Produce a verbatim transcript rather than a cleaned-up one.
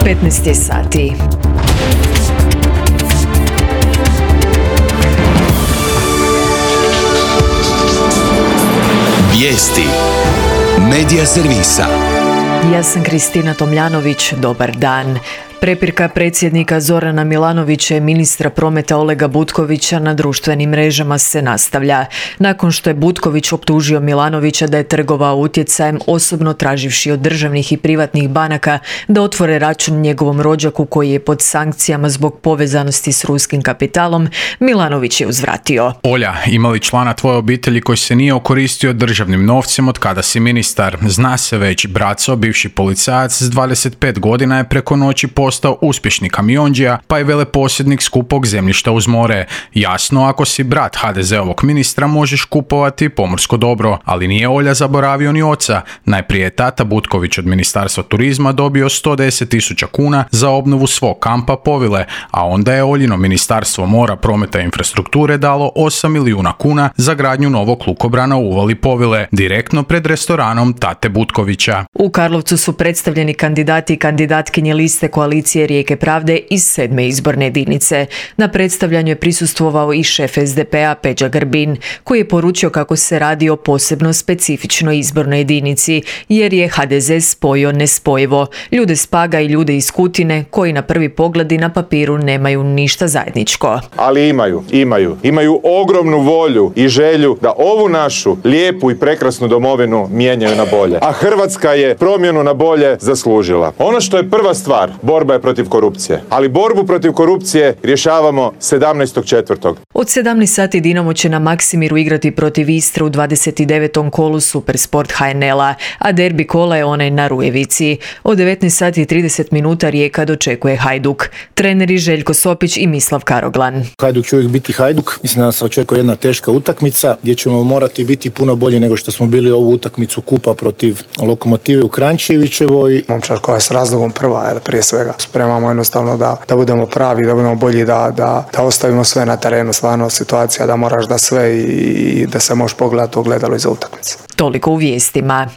petnaest je sati. Vijesti Medija servisa. Ja sam Kristina Tomljanović, dobar dan. Prepirka predsjednika Zorana Milanovića i ministra prometa Olega Butkovića na društvenim mrežama se nastavlja. Nakon što je Butković optužio Milanovića da je trgovao utjecajem, osobno traživši od državnih i privatnih banaka da otvore račun njegovom rođaku koji je pod sankcijama zbog povezanosti s ruskim kapitalom, Milanović je uzvratio. Olja, ima li člana tvoje obitelji koji se nije okoristio državnim novcem od kada si ministar? Zna se već, Braco, bivši policajac s dvadeset pet godina je preko noći postao uspješni kamionđija, pa i veleposjednik skupog zemljišta uz more. Jasno, ako si brat ha de zeovog ministra možeš kupovati pomorsko dobro, ali nije Olja zaboravio ni oca. Najprije je tata Butković od Ministarstva turizma dobio sto deset tisuća kuna za obnovu svog kampa Povile, a onda je Oljino Ministarstvo mora, prometa i infrastrukture dalo osam milijuna kuna za gradnju novog lukobrana u uvali Povile, direktno pred restoranom tate Butkovića. U Karlovcu su predstavljeni kandidati i kandidatkinje liste koalicije Rijeke pravde iz sedme izborne jedinice. Na predstavljanju je prisustvovao i šef es de pe a Peđa Grbin, koji je poručio kako se radi o posebno specifičnoj izbornoj jedinici, jer je ha de ze spojio nespojivo. Ljude s Paga i ljude iz Kutine, koji na prvi pogled i na papiru nemaju ništa zajedničko. Ali imaju, imaju. Imaju ogromnu volju i želju da ovu našu lijepu i prekrasnu domovinu mijenjaju na bolje. A Hrvatska je promjenu na bolje zaslužila. Ono što je prva stvar, borba je protiv korupcije. Ali borbu protiv korupcije rješavamo sedamnaestog četvrtog Od sedamnaest sati Dinamo će na Maksimiru igrati protiv Istre u dvadeset devetom kolu Supersport ha en el-a, a derbi kola je onaj na Rujevici. Od devetnaest sati i trideset minuta Rijeka dočekuje Hajduk. Treneri Željko Sopić i Mislav Karoglan. Hajduk će uvijek biti Hajduk. Mislim da nas očekuje jedna teška utakmica gdje ćemo morati biti puno bolji nego što smo bili ovu utakmicu kupa protiv Lokomotive u Kranjčevićevoj. Momčad koja je s razlogom prva, jer prije svega spremamo jednostavno da, da budemo pravi, da budemo bolji, da, da, da ostavimo sve na terenu. Stvarno situacija da moraš da sve i, i da se možeš pogledati ogledalo iza utakmice. Toliko u vijestima.